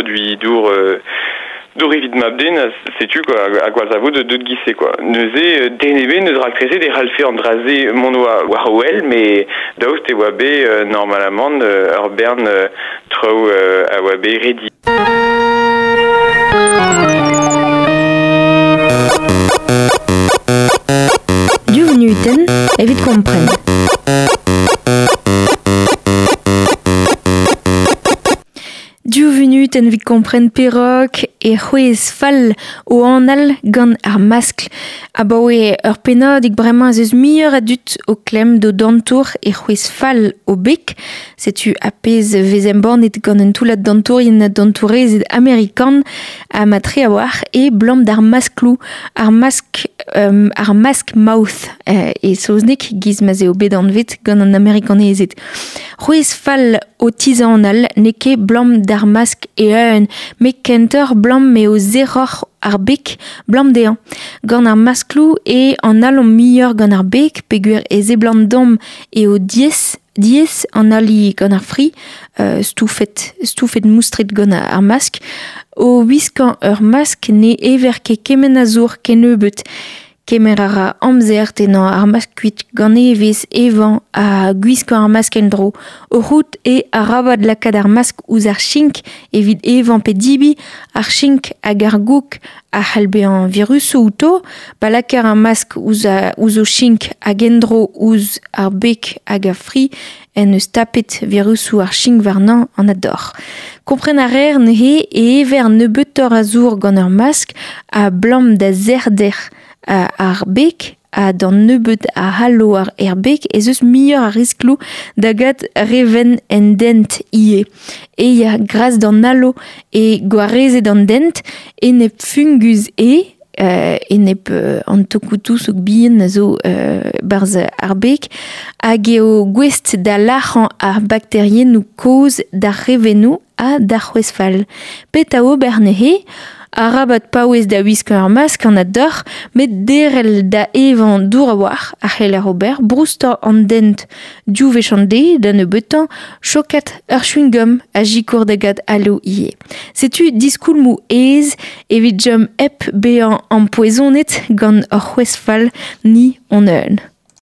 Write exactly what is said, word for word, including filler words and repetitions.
produit dour euh, dour evit mabden, setu quoi, a gwall de deut gise quoi. Neuze denebe neus raktreze de ralfe an draze mont oa war wel, me daoust e oa be euh, normalement euh, ur bern euh, traoù euh, a oa be redi. Du vnuten evit kompren. Du vnuten evit kompren perok e c'hwez fall o anal gant ar maskl. Abaoe ur pennadig bremañ ez eus muioc'h a dud o klemm d'o dantour e c'hwez fall o beg. Setu a pezh vez embannet gant un toullad dantourien ha dantourezed amerikan ha ma tre a-walc'h e blamm d'ar masklou, ar mask um, ar mask mouth euh, e saozneg giz ma'z eo bet anvet gant an amerikanezed. C'hwez fall o tizanal n'eo ket blamm d'ar mask e-eun, met kentoc'h blamm m'eo zeroc'h ar beg blamm dezhañ. Gant ar masklou e an alomp muioc'h gant ar beg peogwir e seblant domm eo diaes diaes an ali gant ar fri, euh, stoufet, stoufet moustret gant ar mask. O wiskañ ur mask ne ever ket kement a zour kennebeut. Kemer a ra amzer tennañ ar mask kuit gant evezh evañ ha gwiskañ ar mask en-dro. O c'hoût e arabat lakaat ar mask ouzh ar chink evit evañ pe dibi, ar chink hag ar gouk a c'hall bezañ virusoù outo, pa lakaer ar mask ouzh, a, ouzh o chink hag en-dro ouzh ar beg hag ar fri en eus tapet virusoù ar chink warnañ an ador. Kompren a reer neuze e ever nebeutoc'h a zour gant ur mask a blamm da zerder ar beg ha d'an nebeut a c'hallo ar er beg ez eus muioc'h a riskloù da gat reven en dent ivez. E ya gras d'an alo e gwarezet an dent enep fungus e euh, enep euh, an tokoutoù bihan a zo euh, barzh ar beg hag eo gouest da lac'hañ ar bakteriennoù kozh d'ar revennoù ha d'ar c'hwez fall. Petra ober neuze? Arabat paouez da wiskañ ur mask an adoc'h, met derel da evañ dour a-walc'h a c'heller ober, broustañ an dent div wech an deiz da nebeutañ, chokat ur chewing-gum a sikour da gat alo ivez. Setu diskoulmoù aes evit chom hep bezañ ampoezonet gant ur c'hwez fall ni hon-eun.